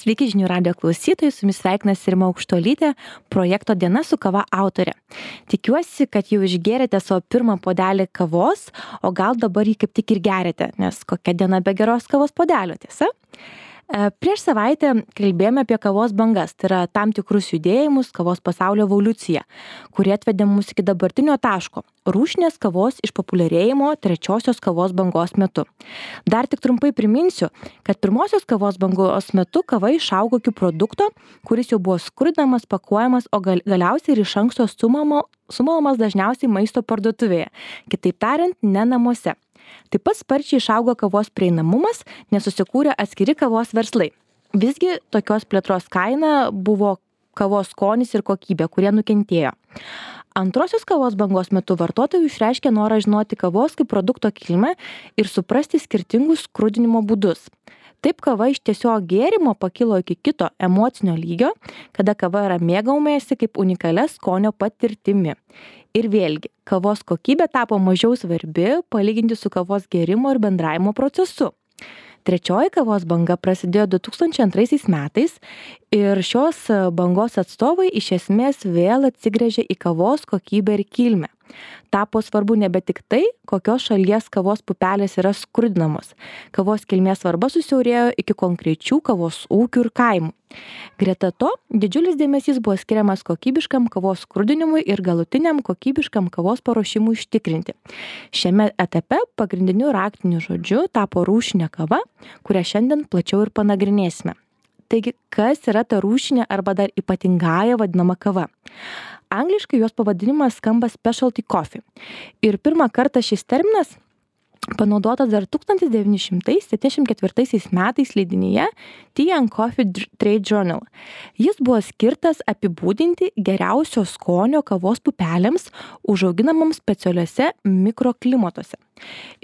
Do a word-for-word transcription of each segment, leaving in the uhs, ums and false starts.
Sveiki žinių radijo klausytojai, su jumis sveikinasi Rima Aukštuolytė, projekto Diena su kava autorė. Tikiuosi, kad jau išgėrėte savo pirmą puodelį kavos, o gal dabar jį kaip tik ir gerėte, nes kokia diena be geros kavos puodelio, tiesa? Prieš savaitę kalbėjome apie kavos bangas, tai yra tam tikrus judėjimus, kavos pasaulio evoliuciją, kurie atvedė mus iki dabartinio taško – rūšinės kavos išpopuliarėjimo trečiosios kavos bangos metu. Dar tik trumpai priminsiu, kad pirmosios kavos bangos metu kava išaugo iki produkto, kuris jau buvo skrudinamas, pakuojamas, o gal, galiausiai ir iš anksto sumamo, sumalamas dažniausiai maisto parduotuvėje, kitaip tariant, ne namuose. Taip pat sparčiai išaugo kavos prieinamumas, nes susikūrė atskiri kavos verslai. Visgi tokios plėtros kaina buvo kavos skonis ir kokybė, kurie nukentėjo. Antrosios kavos bangos metu vartotojų išreiškė norą žinoti kavos kaip produkto kilmę ir suprasti skirtingus skrudinimo būdus. Taip kava iš tiesiog gėrimo pakilo iki kito emocinio lygio, kada kava yra mėgaujamasi kaip unikalia skonio patirtimi. Ir vėlgi, kavos kokybė tapo mažiau svarbi palyginti su kavos gėrimo ir bendravimo procesu. Trečioji kavos banga prasidėjo du tūkstančiai antraisiais metais ir šios bangos atstovai iš esmės vėl atsigręžė į kavos kokybę ir kilmę. Tapo svarbu nebe tik tai, kokios šalies kavos pupelės yra skrudinamos. Kavos kilmės svarba susiaurėjo iki konkrečių kavos ūkių ir kaimų. Greta to, didžiulis dėmesys buvo skiriamas kokybiškam kavos skrudinimui ir galutiniam kokybiškam kavos paruošimui užtikrinti. Šiame etape pagrindiniu raktiniu žodžiu tapo rūšinė kava, kurią šiandien plačiau ir panagrinėsime. Taigi, kas yra ta rūšinė arba dar ypatingąja vadinama kava? Angliškai jos pavadinimas skamba specialty coffee. Ir pirmą kartą šis terminas panaudotas dar tūkstantis devyni šimtai septyniasdešimt ketvirtaisiais metais leidinyje Tea and Coffee Trade Journal. Jis buvo skirtas apibūdinti geriausio skonio kavos pupelėms užauginamams specialiuose mikroklimatuose.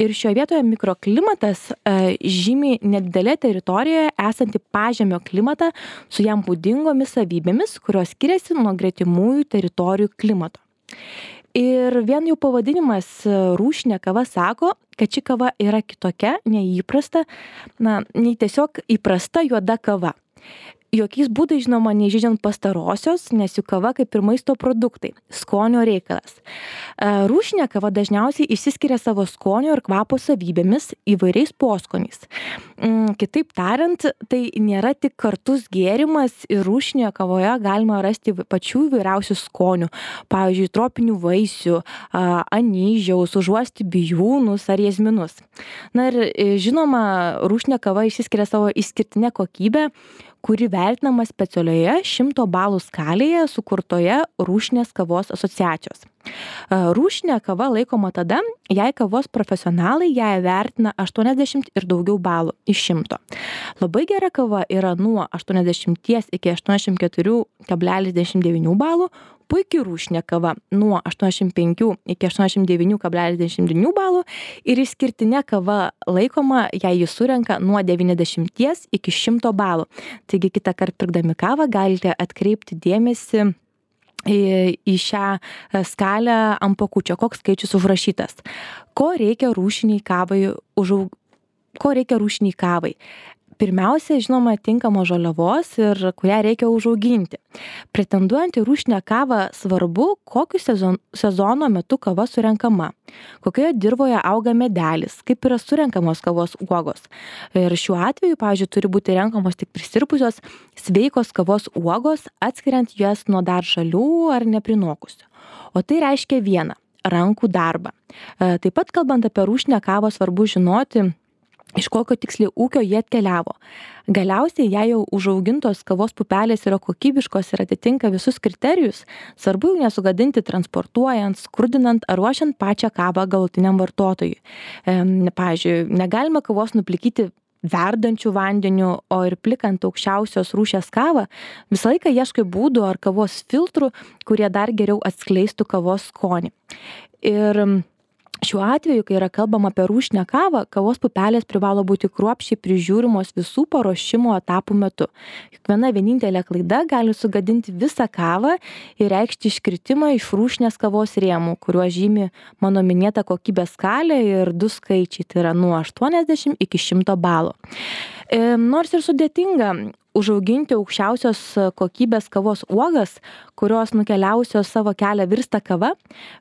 Ir šioje vietoje mikroklimatas e, žymi nedidelė teritorijoje esantį pažemio klimatą su jam būdingomis savybėmis, kurios skiriasi nuo gretimųjų teritorijų klimato. Ir vien jau pavadinimas rūšinė kava sako, kad ši kava yra kitokia, neįprasta, na, nei tiesiog įprasta juoda kava. Jokiais būdais, žinoma, neįžeidžiant pastarosios, nes jų kava kaip ir maisto produktai, skonio reikalas. Rūšinė kava dažniausiai išsiskiria savo skonio ir kvapo savybėmis įvairiais poskoniais. Kitaip tariant, tai nėra tik kartus gėrimas ir rūšinėje kavoje galima rasti pačių įvairiausių skonių, pavyzdžiui, tropinių vaisių, anyžiaus, užuosti bijūnus ar jazminus. Na ir žinoma, rūšinė kava išsiskiria savo išskirtinę kokybę, kuri vertinama specialioje šimto balų skalėje sukurtoje rūšinės kavos asociacijos. Rūšinė kava laikoma tada, jei kavos profesionalai ją vertina aštuoniasdešimt ir daugiau balų iš šimto. Labai gera kava yra nuo aštuoniasdešimt iki aštuoniasdešimt keturi kablelis devyniasdešimt devyni balų, puikiai rūšinė kava nuo aštuoniasdešimt penki iki aštuoniasdešimt devyni kablelis devyniasdešimt devyni balų ir išskirtinė kava laikoma, jei jis surenka nuo devyniasdešimt iki šimto balų. Taigi kitą kartą pirkdami kavą galite atkreipti dėmesį į, į šią skalę ant pakučio, koks skaičius užrašytas. Ko reikia rūšiniai kavai, užaug... ko reikia rūšiniai kavai? Pirmiausia, žinoma, tinkamos žaliavos ir kurią reikia užauginti. Pretenduojant į rūšinę kavą svarbu, kokiu sezon, sezono metu kava surenkama, kokioje dirvoje auga medelis, kaip yra surenkamos kavos uogos. Ir šiuo atveju, pavyzdžiui, turi būti renkamos tik prisirpusios sveikos kavos uogos, atskiriant jas nuo dar žalių ar neprinokusių. O tai reiškia vieną – rankų darbą. Taip pat, kalbant apie rūšinę kavą, svarbu žinoti, iš kokio tiksliai ūkio jie atkeliavo. Galiausiai, jei jau užaugintos kavos pupelės yra kokybiškos ir atitinka visus kriterijus, svarbu jų nesugadinti transportuojant, skrudinant ar ruošiant pačią kavą galutiniam vartotojui. E, pavyzdžiui, negalima kavos nuplikyti verdančių vandeniu, o ir plikant aukščiausios rūšies kavą, visą laiką ieškai būdų ar kavos filtrų, kurie dar geriau atskleistų kavos skonį. Ir šiuo atveju, kai yra kalbama apie rūšinę kavą, kavos pupelės privalo būti kruopščiai prižiūrimos visų paruošimo etapų metu. Juk viena vienintelė klaida gali sugadinti visą kavą ir reikšti iškritimą iš rūšinės kavos rėmų, kuriuo žymi mano minėta kokybės skalė ir du skaičiai, tai yra nuo aštuoniasdešimt iki šimto balų. E, nors ir sudėtinga, užauginti aukščiausios kokybės kavos uogas, kurios nukeliausios savo kelią virsta kava,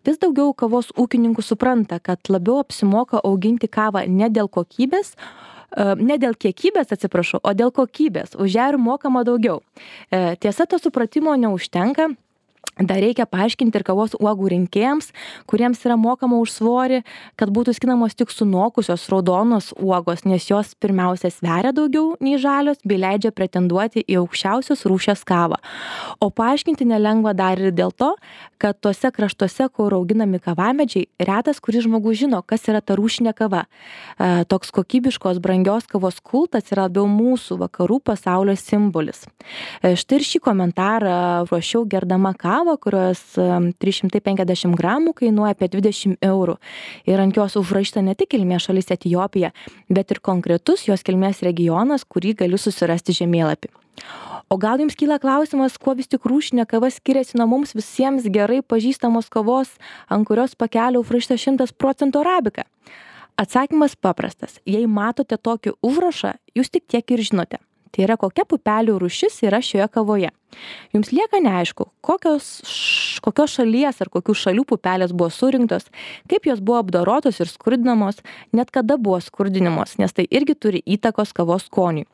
vis daugiau kavos ūkininkų supranta, kad labiau apsimoka auginti kavą ne dėl kokybės, ne dėl kiekybės, atsiprašau, o dėl kokybės. Už ją ir mokama daugiau. Tiesa, to supratimo neužtenka. Dar reikia paaiškinti ir kavos uogų rinkėjams, kuriems yra mokama už svorį, kad būtų skinamos tik sunokusios raudonos uogos, nes jos pirmiausia sveria daugiau nei žalios, bei leidžia pretenduoti į aukščiausios rūšies kavą. O paaiškinti nelengva dar ir dėl to, kad tuose kraštuose, kur auginami kavamedžiai, retas kuris žmogus žino, kas yra ta rūšinė kava. E, toks kokybiškos, brangios kavos kultas yra labiau mūsų vakarų pasaulio simbolis. E, štai ir šį komentarą ruošiau gerdama kavą, kurios trys šimtai penkiasdešimt gramų kainuoja apie dvidešimt eurų. Ir ant jos užrašyta ne tik kilmės šalis Etiopija, bet ir konkretus jos kilmės regionas, kurį galiu susirasti žemėlapį. O gal jums kyla klausimas, kuo vis tik rūšinė kava skiriasi nuo mums visiems gerai pažįstamos kavos, ant kurios pakelio užrašyta šimtas procentų arabika? Atsakymas paprastas. Jei matote tokį užrašą, jūs tik tiek ir žinote. Tai yra, kokia pupelių rūšis yra šioje kavoje. Jums lieka neaišku, kokios, kokios šalies ar kokių šalių pupelės buvo surinktos, kaip jos buvo apdorotos ir skurdinamos, net kada buvo skurdinamos, nes tai irgi turi įtakos kavos skoniui.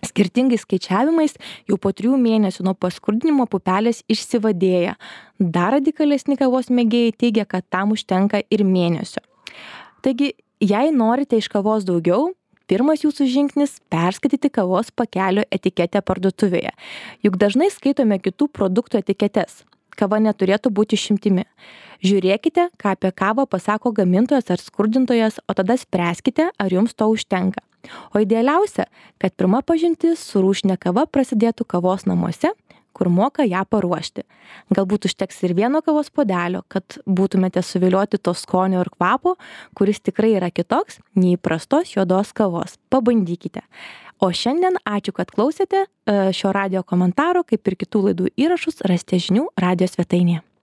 Skirtingais skaičiavimais jau po trijų mėnesių nuo paskurdinimo pupelės išsivadėja. Dar radikalesni kavos mėgėjai teigia, kad tam užtenka ir mėnesio. Taigi, jei norite iš kavos daugiau, pirmas jūsų žingsnis – perskaityti kavos pakelio etiketę parduotuvėje. Juk dažnai skaitome kitų produktų etiketes. Kava neturėtų būti išimtimi. Žiūrėkite, ką apie kavą pasako gamintojas ar skurdintojas, o tada spręskite, ar jums to užtenka. O idealiausia, kad pirma pažintis su rūšinė kava prasidėtų kavos namuose, kur moka ją paruošti. Galbūt užteks ir vieno kavos puodelio, kad būtumėte suvilioti to skonio ir kvapo, kuris tikrai yra kitoks nei įprastos juodos kavos. Pabandykite. O šiandien ačiū, kad klausėte šio radijo komentaro, kaip ir kitų laidų įrašus rasite žinių radijo svetainėje.